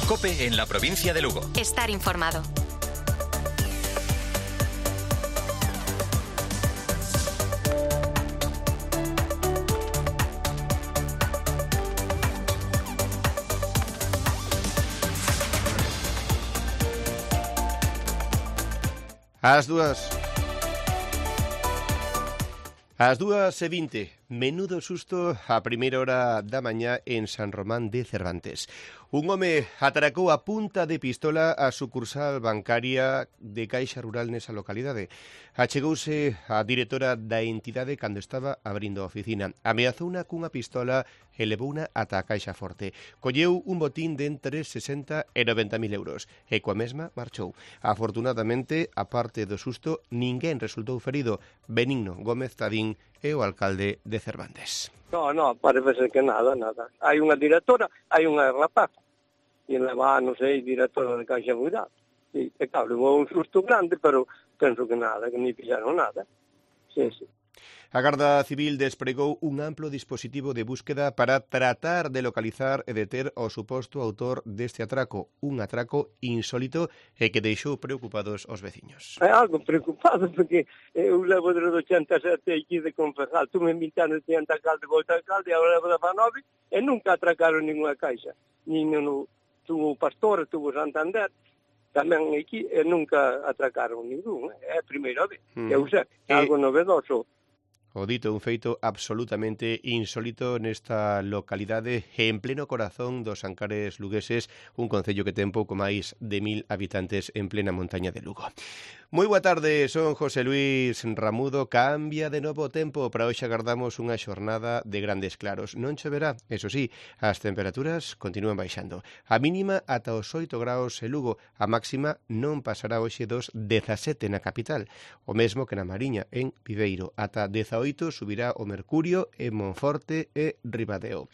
COPE en la provincia de Lugo. Estar informado. Ás 2:20, menudo susto a primeira hora da mañá en San Román de Cervantes. Un home atracou a punta de pistola a sucursal bancaria de Caixa Rural nesa localidade. Achegouse a directora da entidade cando estaba abrindo a oficina. Ameazouna cunha pistola e levouna ata a Caixa Forte. Colleu un botín de entre 60 e 90.000 euros e coa mesma marchou. Afortunadamente, a parte do susto, ninguén resultou ferido. Benigno Gómez Tadín é o alcalde de Cervantes. No, parece que nada. Hai unha directora, hai unha rapaz, e leva, non sei, directora de Caixa Rural. E claro, levou un susto grande, pero penso que nada, que ni fixeron nada. Sí. A Garda Civil despregou un amplo dispositivo de búsqueda para tratar de localizar e deter o suposto autor deste atraco, un atraco insólito e que deixou preocupados os veciños. É algo preocupado, porque eu levo desde 87 aquí de Confejal, tuve 20 anos de alcalde, volta alcalde, agora levo de Fanove, e nunca atracaron ninguna caixa. Tuvo Pastor, tuvo Santander, tamén aquí, e nunca atracaron ningún. É a primeira vez. Eu sei, é algo novedoso. O dito un feito absolutamente insólito nesta localidade en pleno corazón dos Ancares lugueses, un concello que ten pouco máis de 1.000 habitantes en plena montaña de Lugo. Moi boa tarde, son José Luis Ramudo. Cambia de novo o tempo, para hoxe agardamos unha xornada de grandes claros. Non choverá, eso sí, as temperaturas continúan baixando. A mínima ata os 8 graus en Lugo, a máxima non pasará hoxe dos 17 na capital. O mesmo que na Mariña, en Viveiro, ata 18 subirá o mercurio en Monforte e Ribadeo.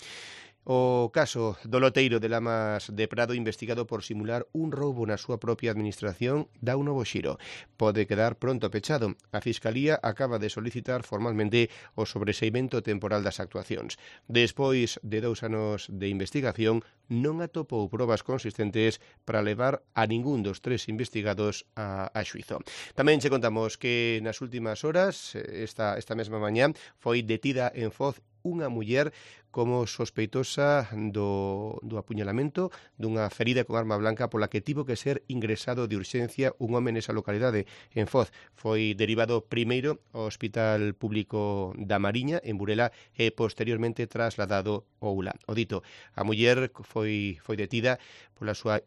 O caso do loteiro de Lamas de Prado, investigado por simular un roubo na súa propia administración, dá un novo xiro. Pode quedar pronto pechado. A Fiscalía acaba de solicitar formalmente o sobreseimento temporal das actuacións. Despois de 2 anos de investigación, non atopou probas consistentes para levar a ningún dos 3 investigados a xuizo. Tamén che contamos que nas últimas horas, esta mesma mañá, foi detida en Foz unha muller como sospeitosa do apuñalamento dunha ferida con arma blanca pola que tivo que ser ingresado de urxencia un home nesa localidade en Foz. Foi derivado primeiro ao Hospital Público da Mariña en Burela e posteriormente trasladado ao ULA. O dito, a muller foi detida pola súa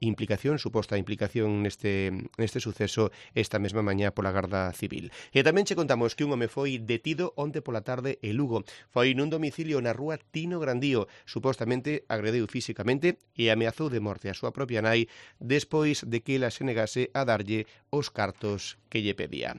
suposta implicación neste suceso esta mesma mañá pola Garda Civil. E tamén che contamos que un home foi detido onte pola tarde en Lugo. Foi nun domicilio na rúa Tino Grandío, supostamente agrediu físicamente e ameazou de morte a súa propia nai despois de que ela se negase a darlle os cartos que lle pedía.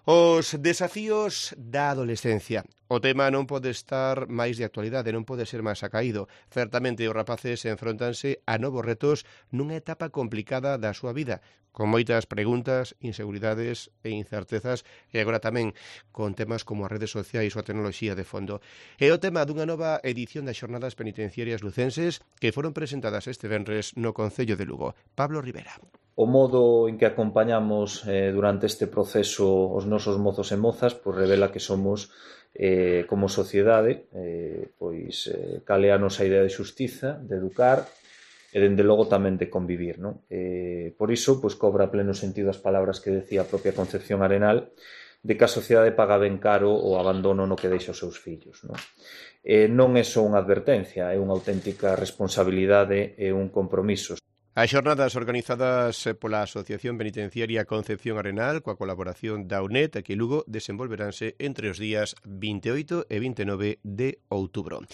Os desafíos da adolescencia. O tema non pode estar máis de actualidade, non pode ser máis acaído. Certamente os rapaces enfrontanse a novos retos nunha etapa complicada da súa vida, con moitas preguntas, inseguridades e incertezas, e agora tamén con temas como as redes sociais ou a tecnoloxía de fondo. É o tema dunha nova edición das Xornadas Penitenciarias Lucenses que foron presentadas este venres no Concello de Lugo. Pablo Rivera. O modo en que acompañamos durante este proceso os nosos mozos e mozas revela que somos como sociedade cal é a nosa idea de xustiza, de educar e dende logo tamén de convivir, non? Por iso cobra pleno sentido as palabras que decía a propia Concepción Arenal de que a sociedade paga ben caro o abandono no que deixa os seus fillos, non? Non é só unha advertencia, é unha auténtica responsabilidade e un compromiso. As xornadas organizadas pola Asociación Penitenciaria Concepción Arenal coa colaboración da UNED aquí en Lugo desenvolveranse entre os días 28 e 29 de outubro.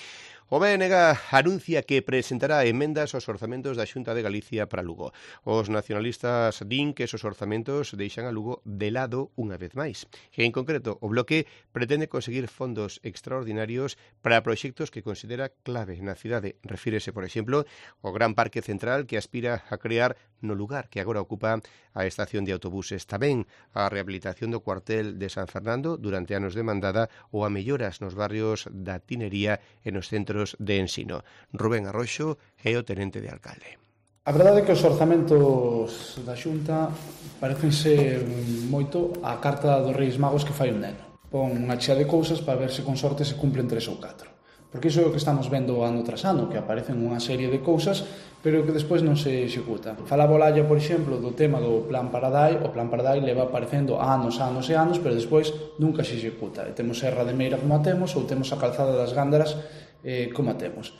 O BNG anuncia que presentará emendas aos orzamentos da Xunta de Galicia para Lugo. Os nacionalistas din que esos orzamentos deixan a Lugo de lado unha vez máis. En concreto, o bloque pretende conseguir fondos extraordinarios para proxectos que considera clave na cidade. Refírese, por exemplo, ao Gran Parque Central que aspira a crear no lugar que agora ocupa a estación de autobuses. Tamén a rehabilitación do cuartel de San Fernando durante anos de mandada ou a melloras nos barrios da Tinería e nos centros de ensino. Rubén Arroxo é o tenente de alcalde. A verdade é que os orzamentos da Xunta parecense moito á carta dos Reis Magos que fai un neno. Pon unha chea de cousas para ver se con sorte se cumplen 3 ou 4. Porque iso é o que estamos vendo ano tras ano, que aparecen unha serie de cousas, pero que despois non se executan. Falaba Olalla, por exemplo, do tema do Plan Paradai. O Plan Paradai leva aparecendo anos e anos, pero despois nunca se executa. E temos Serra de Meira como a temos, ou temos a Calzada das Gándaras como a temos.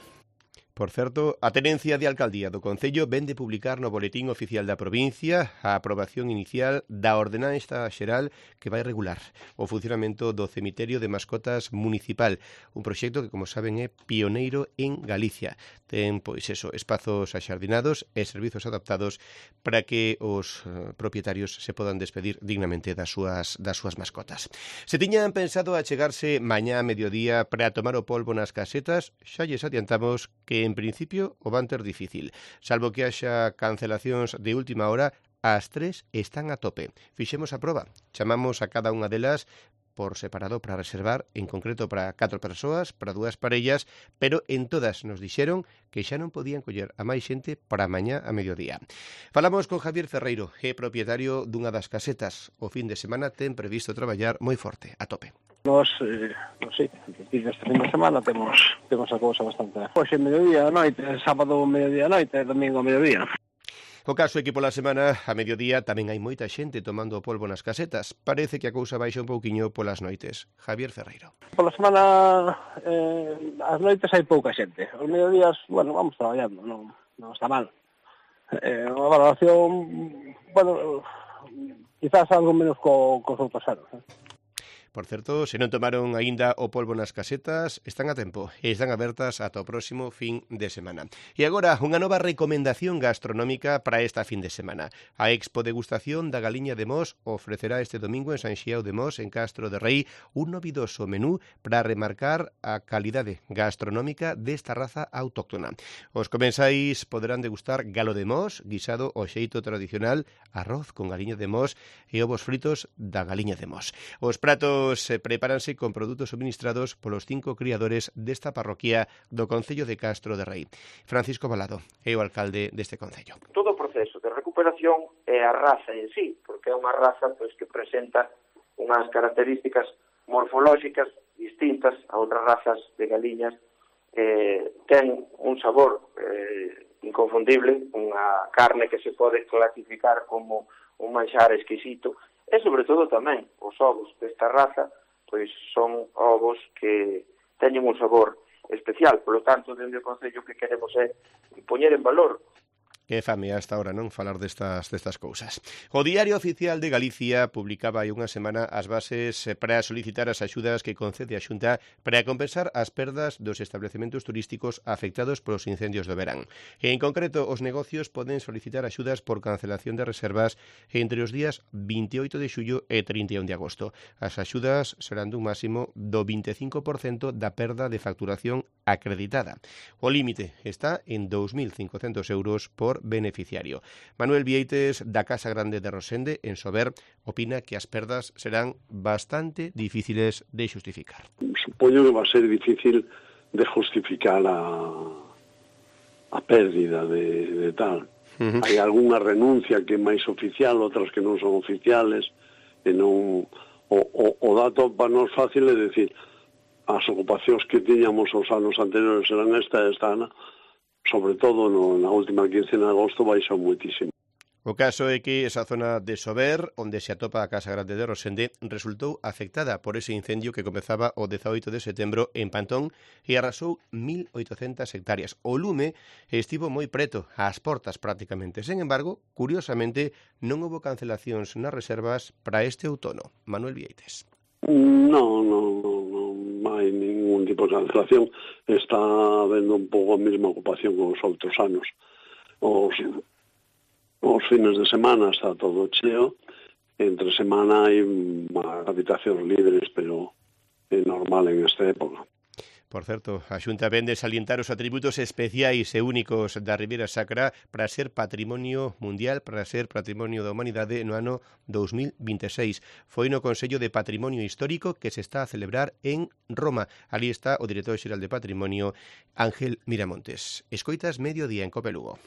Por certo, a Tenencia de Alcaldía do Concello vén de publicar no Boletín Oficial da Provincia a aprobación inicial da Ordenanza Xeral que vai regular o funcionamento do cemiterio de mascotas municipal, un proxecto que, como saben, é pioneiro en Galicia. Ten, pois eso, espazos axardinados e servizos adaptados para que os propietarios se podan despedir dignamente das súas mascotas. Se tiñan pensado achegarse mañá a mediodía para tomar o polvo nas casetas, xa lles adiantamos que en principio o van ter difícil. Salvo que haxa cancelacións de última hora, as 3 están a tope. Fixemos a proba. Chamamos a cada unha delas por separado para reservar, en concreto para 4 persoas, para 2 parellas, pero en todas nos dixeron que xa non podían coller a máis xente para mañá a mediodía. Falamos con Javier Ferreiro, é propietario dunha das casetas. O fin de semana ten previsto traballar moi forte, a tope. Nos, non sei, este fin de semana temos a cousa bastante. Hoxe mediodía a noite, sábado mediodía a noite, domingo a mediodía. O caso é que pola semana, a mediodía, tamén hai moita xente tomando o polvo nas casetas. Parece que a cousa baixa un pouquiño polas noites. Javier Ferreiro. Pola semana, as noites hai pouca xente. Os mediodías, bueno, vamos traballando, non está mal. Unha valoración, bueno, quizás algo menos cos outros anos. Por certo, se non tomaron aínda o polvo nas casetas, están a tempo e están abertas ata o próximo fin de semana. E agora, unha nova recomendación gastronómica para esta fin de semana. A Expo Degustación da Galiña de Mos ofrecerá este domingo en San Xiao de Mos, en Castro de Rei, un novidoso menú para remarcar a calidade gastronómica desta raza autóctona. Os comensais poderán degustar galo de Mos, guisado ao xeito tradicional, arroz con galiña de Mos e ovos fritos da Galiña de Mos. Os pratos prepáranse con produtos suministrados polos 5 criadores desta parroquia do Concello de Castro de Rei. Francisco Balado é o alcalde deste concello. Todo o proceso de recuperación é a raza en sí, porque é unha raza que presenta unhas características morfolóxicas distintas a outras razas de galiñas. Ten un sabor inconfundible, unha carne que se pode clasificar como un manxar exquisito. E, sobre todo, tamén, os ovos desta raza, pois son ovos que teñen un sabor especial. Por lo tanto, dende o Concello que queremos é poñer en valor. Que fame hasta ahora, non, falar destas cousas. O Diario Oficial de Galicia publicaba hai unha semana as bases para solicitar as axudas que concede a Xunta para compensar as perdas dos establecementos turísticos afectados polos incendios do verán. En concreto, os negocios poden solicitar axudas por cancelación de reservas entre os días 28 de xullo e 31 de agosto. As axudas serán dun máximo do 25% da perda de facturación acreditada. O límite está en 2.500 euros por beneficiario. Manuel Vieites, da Casa Grande de Rosende, en Sober, opina que as perdas serán bastante difíciles de xustificar. Supoño que va a ser difícil de justificar a pérdida de tal. Hai algunha renuncia que é máis oficial, outras que non son oficiales, e non o dato para nós fácil é dicir as ocupacións que tiñamos os anos anteriores eran esta ano, sobre todo na última quincena de agosto, baixou moitísimo. O caso é que esa zona de Sober, onde se atopa a Casa Grande de Rosende, resultou afectada por ese incendio que comezaba o 18 de setembro en Pantón e arrasou 1.800 hectáreas. O lume estivo moi preto, ás portas prácticamente. Sen embargo, curiosamente, non houbo cancelacións nas reservas para este outono. Manuel Vieites. Non hai ningún tipo de cancelación. Está habendo un pouco a mesma ocupación que os outros anos. Os fines de semana está todo cheo. Entre semana hai habitacións libres, pero é normal en esta época. Por certo, a Xunta vende salientar os atributos especiais e únicos da Ribeira Sacra para ser patrimonio mundial, para ser patrimonio da humanidade no ano 2026. Foi no Consello de Patrimonio Histórico que se está a celebrar en Roma. Ali está o director xeral de Patrimonio, Ángel Miramontes. Escoitas Mediodía en Cope Lugo.